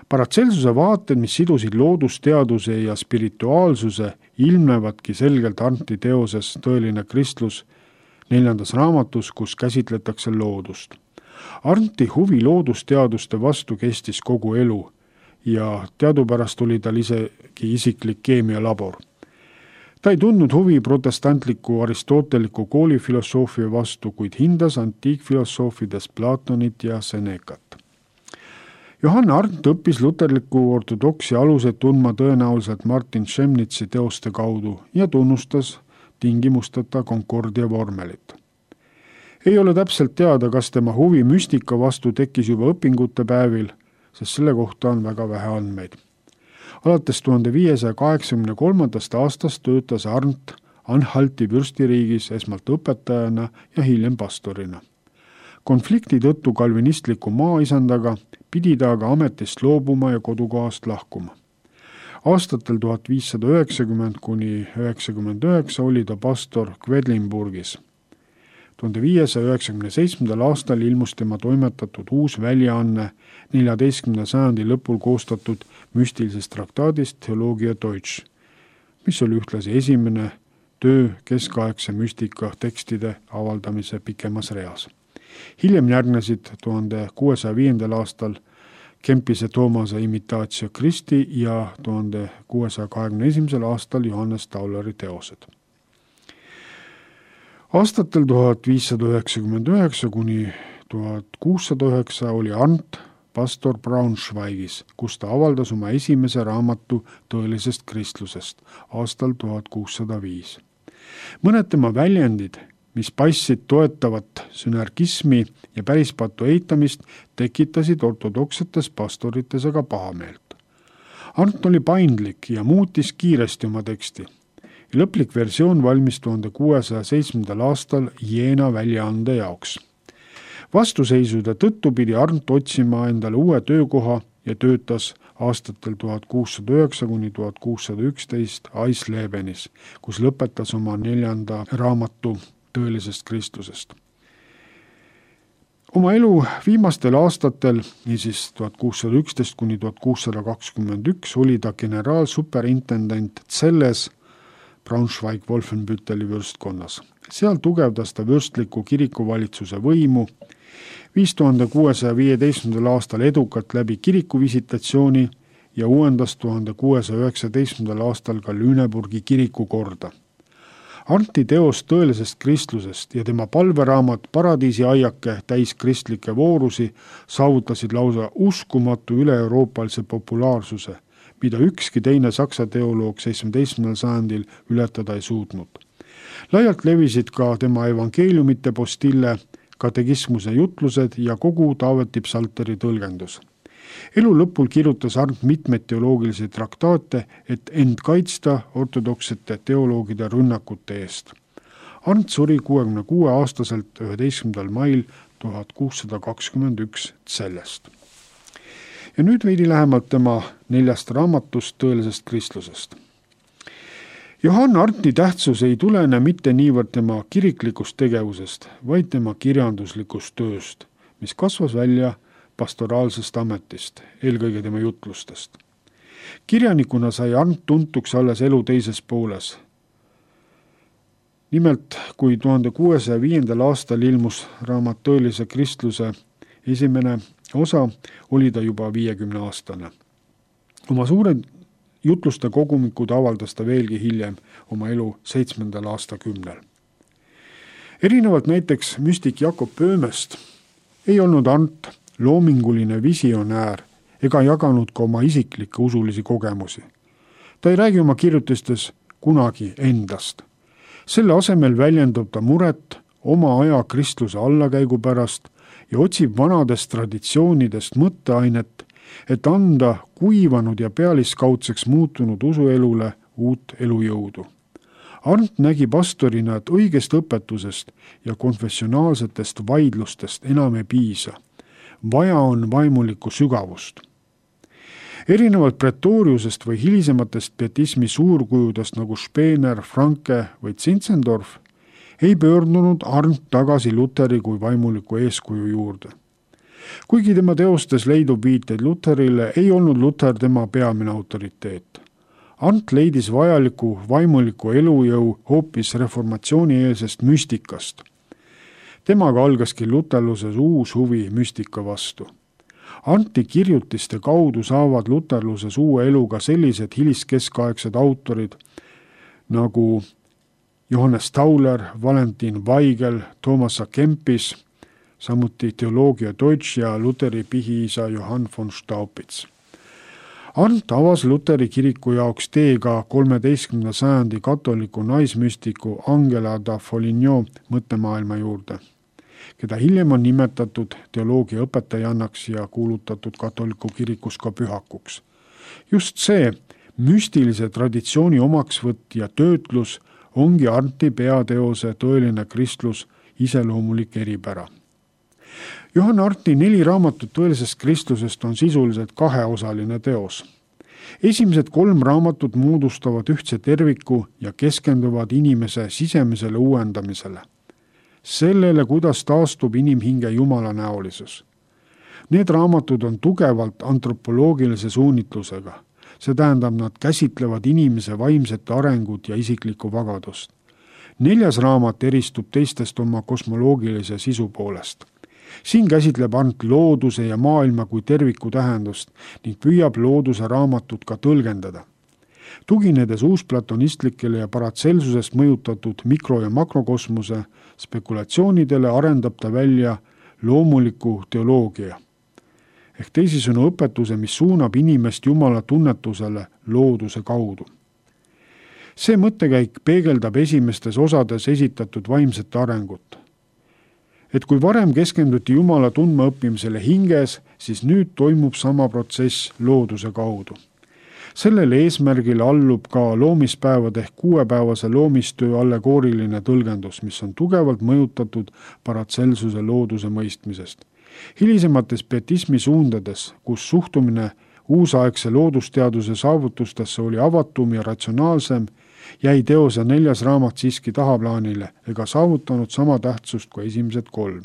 Paracelsuse vaated, mis sidusid loodusteaduse ja spirituaalsuse, ilmnevadki selgelt Arndti teoses Tõeline kristlus neljandas raamatus, kus käsitletakse loodust. Arndti huvi loodusteaduste vastu kestis kogu elu ja teadupärast oli tal isegi isiklik keemialabor. Ta ei tundnud huvi protestantliku aristoteliku koolifilosoofia vastu, kuid hindas antiikfilosoofides Platonit ja Senecat. Johann Arndt õppis luterliku ortodoksi aluseid tundma tõenäoliselt Martin Chemnitzi teoste kaudu ja tunnustas tingimusteta Concordia vormelit. Ei ole täpselt teada, kas tema huvi müstika vastu tekkis juba õpingute päevil, sest selle kohta on väga vähe andmeid. Alates tuhande viiesaja kaheksakümne kolmandast aastast töötas Arndt Anhalti vürstiriigis esmalt õpetajana ja hiljem pastorina. Konflikti tõttu kalvinistliku maaisandaga pidi ta aga ametist loobuma ja kodukohast lahkuma. Aastatel tuhat viissada üheksakümmend kuni üheksakümmend üheksa oli ta pastor Quedlinburgis. tuhande viiesaja üheksakümne seitsmendal aastal ilmus tema toimetatud uus väljaanne neljateistkümnenda sajandi lõpul koostatud müstilisest traktaadist Theologia Deutsch, mis oli ühtlasi esimene töö keskaegse müstika tekstide avaldamise pikemas reas. Hiljem järgnesid tuhande kuuesaja viiendal aastal Kempise Toomase Imitatio Christi ja tuhande kuuesaja kahekümne esimesel aastal Johannes Tauleri teosed. Aastatel tuhat viissada üheksakümmend üheksa kuni tuhat kuussada üheksa oli Arndt pastor Braunschweigis, kus ta avaldas oma esimese raamatu Tõelisest kristlusest aastal tuhat kuussada viis. Mõned tema väljendid, mis paistsid toetavat sünergismi ja pärispatu eitamist, tekitasid ortodoksetes pastorites aga pahameelt. Arndt oli paindlik ja muutis kiiresti oma teksti. Lõplik versioon valmis tuhande kuuesaja seitsmendal aastal Jeena väljaande jaoks. Vastuseisude tõttu pidi Arndt otsima endale uue töökoha ja töötas aastatel tuhat kuussada üheksa kuni tuhat kuussada üksteist Eislebenis, kus lõpetas oma neljanda raamatu Tõelisest kristlusest. Oma elu viimastel aastatel, niisiis tuhat kuussada üksteist kuni tuhat kuussada kakskümmend üks, oli ta generaalsuperintendent Celles Braunschweig-Wolfenbütteli vürstkonnas. Seal tugevdas ta vürstliku kirikuvalitsuse võimu, viis tuhande kuuesaja viieteistkümnendal aastal edukalt läbi kirikuvisitatsiooni ja uuendas tuhande kuuesaja üheksateistkümnendal aastal ka Lüneburgi kirikukorda. Arndti teos Tõelisest kristlusest ja tema palveraamat Paradiisi aiake täis kristlikke voorusi saavutasid lausa uskumatu üle-euroopalise populaarsuse, mida ükski teine saksa teoloog seitsmeteistkümnendal sajandil ületada ei suutnud. Laialt levisid ka tema evangeeliumite postille, katekismuse jutlused ja kogu Taaveti psalteri tõlgendus. Elu lõpul kirjutas Arndt mitmeid teoloogilisi traktaate, et end kaitsta ortodoksete teoloogide rünnakute eest. Arndt suri kuuekümne kuue aastaselt üheteistkümnendal mail tuhat kuussada kakskümmend üks Cellest. Ja nüüd veidi lähemalt tema neljast raamatust Tõelisest kristlusest. Johann Arndti tähtsus ei tulene mitte niivõrd tema kiriklikust tegevusest, vaid tema kirjanduslikust tööst, mis kasvas välja pastoraalsest ametist, eelkõige tema jutlustest. Kirjanikuna sai Arndt tuntuks alles elu teises pooles. Nimelt, kui tuhande kuuesaja viiendal aastal ilmus raamat Tõelise kristluse esimene osa, oli ta juba viiekümne aastane. Oma suured jutluste kogumikud avaldas ta veelgi hiljem oma elu seitsmendal aastakümnel. Erinevalt näiteks müstik Jakob Böhmest ei olnud Arndt loominguline visionäär ega jaganud ka oma isiklikke usulisi kogemusi. Ta ei räägi oma kirjutistes kunagi endast. Selle asemel väljendab ta muret oma aja kristluse allakäigu pärast ja otsib vanadest traditsioonidest mõtteainet, et anda kuivanud ja pealiskaudseks muutunud usuelule uut elujõudu. Arndt nägi pastorina, et õigest õpetusest ja konfessionaalsetest vaidlustest enam ei piisa. Vaja on vaimulikku sügavust. Erinevalt Pretoriusest või hilisematest pietismi suurkujudest nagu Spener, Franke või Zinzendorf ei pöördunud Arndt tagasi Luteri kui vaimuliku eeskuju juurde. Kuigi tema teostes leidub viiteid Luterile, ei olnud Luter tema peamine autoriteet. Arndt leidis vajaliku vaimuliku elujõu hoopis reformatsioonieelsest müstikast. Temaga algaski luterluses uus huvi müstika vastu. Arndti kirjutiste kaudu saavad luterluses uue elu ka sellised hiliskeskaegsed autorid nagu Johannes Tauler, Valentin Weigel, Toomas A. Kempis, samuti Theologia Deutsch ja Luteri pihiisa Johann von Staupitz. Arndt avas Luteri kiriku jaoks tee ka kolmeteistkümnenda sajandi katoliku naismüstiku Angela da Foligno mõttemaailma juurde, keda hiljem on nimetatud teoloogia õpetajannaks ja kuulutatud katoliku kirikus ka pühakuks. Just see müstilise traditsiooni omaksvõtt ja töötlus ongi Arndti peateose Tõeline kristlus iseloomulik eripära. Johann Arndti neli raamatut Tõelisest kristlusest on sisuliselt kaheosaline teos. Esimesed kolm raamatut moodustavad ühtse terviku ja keskenduvad inimese sisemisele uuendamisele. Sellele, kuidas taastub inimhinge Jumala näolisus. Need raamatud on tugevalt antropoloogilise suunitlusega. See tähendab, nad käsitlevad inimese vaimset arengut ja isiklikku vagadust. Neljas raamat eristub teistest oma kosmoloogilise sisu poolest. Siin käsitleb Arndt looduse ja maailma kui terviku tähendust ning püüab looduse raamatut ka tõlgendada. Tuginedes uusplatonistlikele ja Paracelsusest mõjutatud mikro- ja makrokosmose spekulatsioonidele arendab ta välja loomuliku teoloogia. Ehk teisisõnu õpetuse, mis suunab inimest Jumala tunnetusele looduse kaudu. See mõttekäik peegeldab esimestes osades esitatud vaimset arengut. Et kui varem keskenduti Jumala tundma õppimisele hinges, siis nüüd toimub sama protsess looduse kaudu. Sellele eesmärgile allub ka loomispäevade ehk kuuepäevase loomistöö allegooriline tõlgendus, mis on tugevalt mõjutatud Paracelsuse looduse mõistmisest. Hilisemates pietismi suundades, kus suhtumine uusaegse loodusteaduse saavutustesse oli avatum ja ratsionaalsem, jäi teose neljas raamat siiski tahaplaanile ega saavutanud sama tähtsust kui esimesed kolm.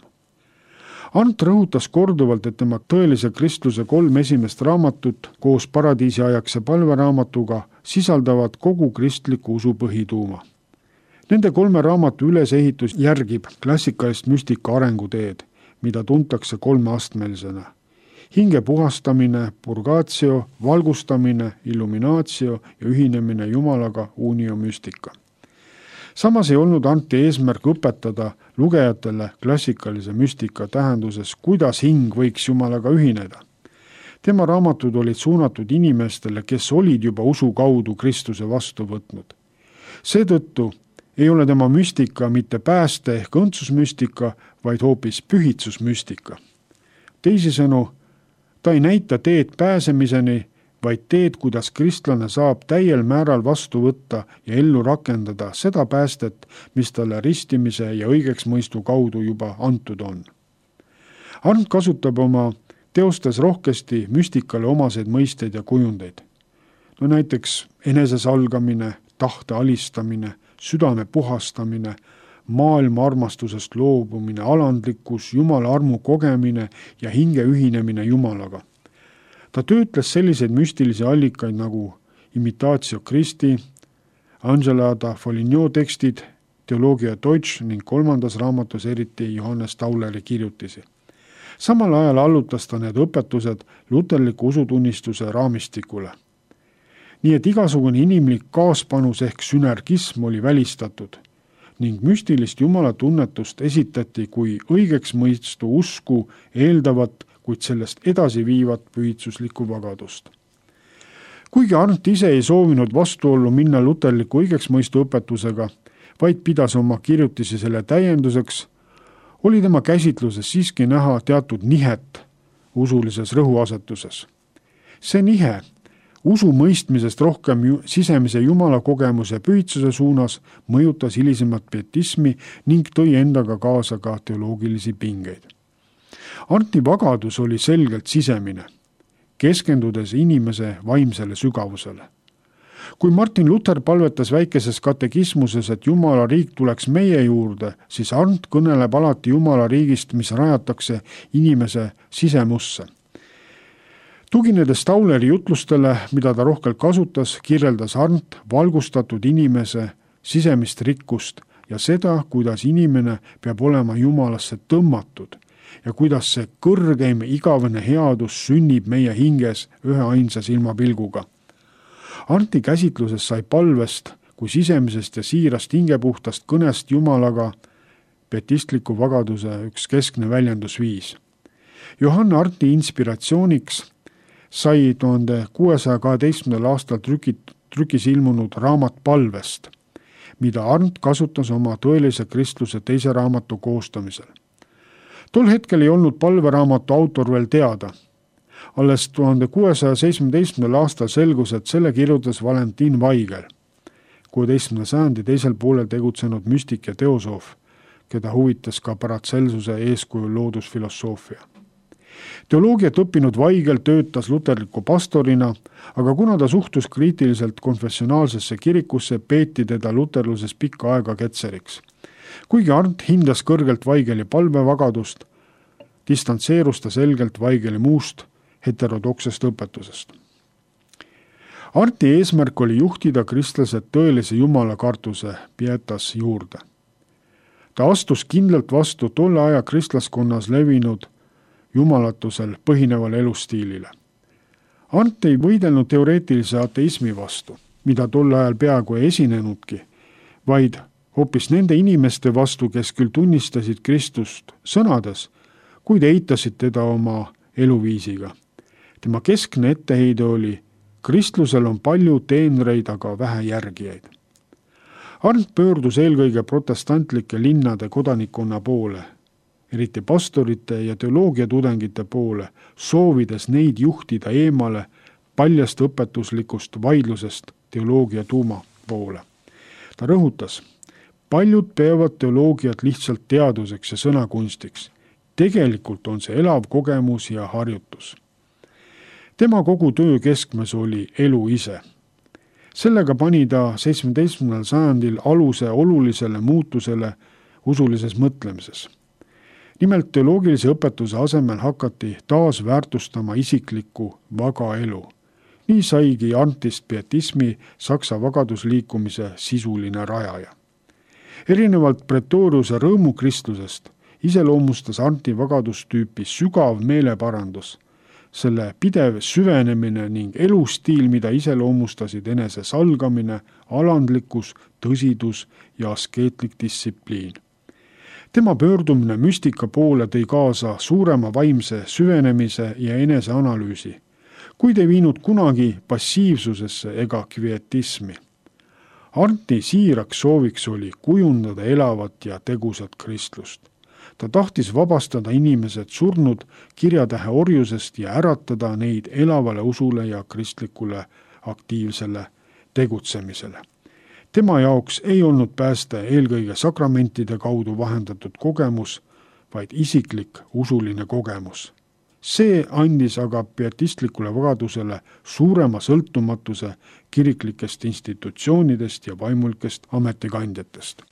Arndt rõhutas korduvalt, et tema Tõelise kristluse kolm esimest raamatut koos paradiisiajakse palveraamatuga sisaldavad kogu kristliku usu põhituuma. Nende kolme raamatu ülesehitus järgib klassikalist müstika arenguteed, mida tuntakse kolmeastmelisena. Hinge puhastamine, purgatio, valgustamine, illuminaatio ja ühinemine Jumalaga unio müstika. Samas ei olnud Arndti eesmärk õpetada lugejatele klassikalise müstika tähenduses, kuidas hing võiks Jumalaga ühineda. Tema raamatud olid suunatud inimestele, kes olid juba usu kaudu Kristuse vastu võtnud. Seetõttu ei ole tema müstika mitte pääste ehk õndsusmüstika, vaid hoopis pühitsusmüstika. Teisisõnu, ta ei näita teed pääsemiseni, vaid teed, kuidas kristlane saab täiel määral vastu võtta ja ellu rakendada seda päästet, mis talle ristimise ja õigeks mõistu kaudu juba antud on. Arndt kasutab oma teostes rohkesti müstikale omaseid mõisteid ja kujundeid. No näiteks enesesalgamine, tahte alistamine, südame puhastamine, maailma armastusest loobumine, alandlikkus, Jumala armu kogemine ja hinge ühinemine Jumalaga. Ta töötles selliseid müstilisi allikaid nagu Imitatio Christi, Angela da Foligno tekstid, Theologia Deutsch ning kolmandas raamatus eriti Johannes Tauleri kirjutisi. Samal ajal allutas ta need õpetused luterliku usutunnistuse raamistikule. Nii et igasugune inimlik kaaspanus ehk sünergism oli välistatud ning müstilist Jumala tunnetust esitati kui õigeks mõistu usku eeldavat, kuid sellest edasi viivat pühitsuslikku vagadust. Kuigi Arndt ise ei soovinud vastuollu minna luterliku õigeks mõistu õpetusega, vaid pidas oma kirjutisi selle täienduseks, oli tema käsitluses siiski näha teatud nihet usulises rõhuasetuses. See nihe usu mõistmisest rohkem ju, sisemise Jumala kogemuse pühitsuse suunas mõjutas hilisemat pietismi ning tõi endaga kaasa ka teoloogilisi pingeid. Arndti vagadus oli selgelt sisemine, keskendudes inimese vaimsele sügavusele. Kui Martin Luther palvetas väikeses katekismuses, et Jumala riik tuleks meie juurde, siis Arndt kõneleb alati Jumala riigist, mis rajatakse inimese sisemusse. Tuginedes Tauleri jutlustele, mida ta rohkelt kasutas, kirjeldas Arndt valgustatud inimese sisemist rikkust ja seda, kuidas inimene peab olema Jumalasse tõmmatud ja kuidas see kõrgeim igavene headus sünnib meie hinges ühe ainsa silmapilguga. Arndti käsitluses sai palvest kui sisemisest ja siirast hingepuhtast kõnest Jumalaga pietistliku vagaduse üks keskne väljendusviis. Johann Arnti inspiratsiooniks sai tuhande kuuesaja kaheteistkümnendal aastal trükit, trükis ilmunud raamat Palvest, mida Arnt kasutas oma tõelise kristluse teise raamatu koostamisel. Tol hetkel ei olnud palveraamatu autor veel teada. Alles tuhande kuuesaja seitsmeteistkümnendal aastal selgus, et selle kirjutas Valentin Vaigel, kuueteistkümnenda sajandi teisel poolel tegutsenud müstik ja teosoof, keda huvitas ka Paracelsuse eeskujul loodusfilosoofia. Teoloogiat õppinud Vaigel töötas luterliku pastorina, aga kuna ta suhtus kriitiliselt konfessionaalsesse kirikusse, peeti teda luterluses pikka aega ketseriks. Kuigi Arnt hindas kõrgelt Vaigeli palvevagadust, distantseerus ta selgelt Vaigeli muust heterodoksest õpetusest. Arnti eesmärk oli juhtida kristlased tõelise jumalakartuse pietas juurde. Ta astus kindlalt vastu tolle aja kristlaskonnas levinud jumalatusel põhinevale elustiilile. Arnt ei võidelnud teoreetilise ateismi vastu, mida tol ajal peaaegu ei esinenudki, vaid hoopis nende inimeste vastu, kes küll tunnistasid Kristust sõnades, kuid eitasid teda oma eluviisiga. Tema keskne etteheide oli, kristlusel on palju teenreid, aga vähe järgijaid. Arnt pöördus eelkõige protestantlike linnade kodanikkonna poole, eriti pastorite ja teoloogiatudengite poole, soovides neid juhtida eemale paljast õpetuslikust vaidlusest teoloogia tuuma poole. Ta rõhutas, paljud peavad teoloogiat lihtsalt teaduseks ja sõnakunstiks. Tegelikult on see elav kogemus ja harjutus. Tema kogu töö keskmes oli elu ise. Sellega pani ta seitsmeteistkümnendal sajandil aluse olulisele muutusele usulises mõtlemises. Nimelt teoloogilise õpetuse asemel hakati taas väärtustama isiklikku vaga elu. Nii saigi Arntist pietismi saksa vagadusliikumise sisuline rajaja. Erinevalt Pretoriuse rõõmukristlusest iseloomustas Arnti vagadustüüpi sügav meeleparandus, selle pidev süvenemine ning elustiil, mida iseloomustasid enese salgamine, alandlikkus, tõsidus ja askeetlik distsipliin. Tema pöördumine müstika poole tõi kaasa suurema vaimse süvenemise ja eneseanalüüsi, kuid ei viinud kunagi passiivsusesse ega kvietismi. Arnti siiraks sooviks oli kujundada elavat ja tegusat kristlust. Ta tahtis vabastada inimesed surnud kirjatähe orjusest ja äratada neid elavale usule ja kristlikule aktiivsele tegutsemisele. Tema jaoks ei olnud pääste eelkõige sakramentide kaudu vahendatud kogemus, vaid isiklik usuline kogemus. See andis aga pietistlikule vagadusele suurema sõltumatuse kiriklikest institutsioonidest ja vaimulikest ametikandjatest.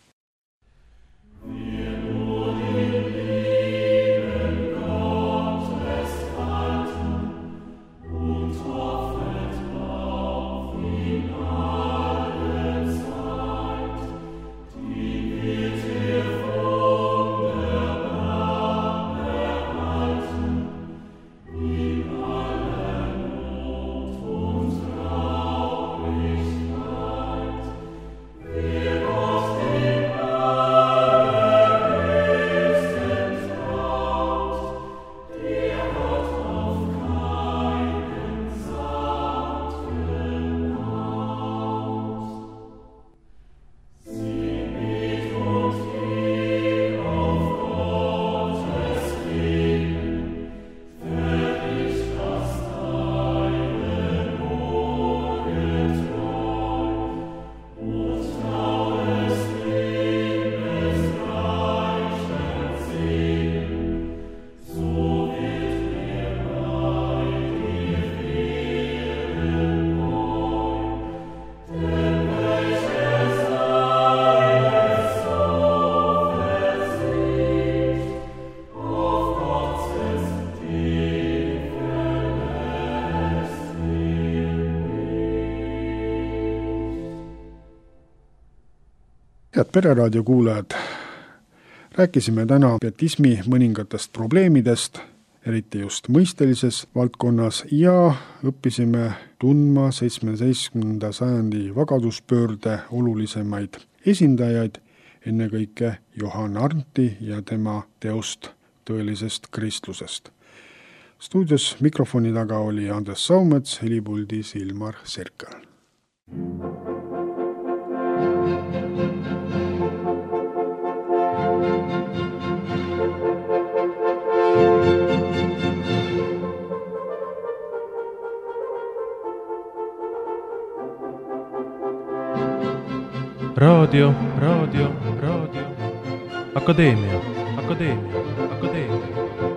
Head Pereraadio kuulajad, rääkisime täna pietismi mõningatest probleemidest, eriti just mõistelises valdkonnas, ja õppisime tundma seitsmeteistkümnenda sajandi vagaduspöörde olulisemaid esindajaid, ennekõike Johann Arndti ja tema teost Tõelisest kristlusest. Stuudios mikrofoni taga oli Andres Saumets, helipuldis Ilmar Serkal. raadio, raadio, raadio, Akadeemia, Akadeemia, Akadeemia.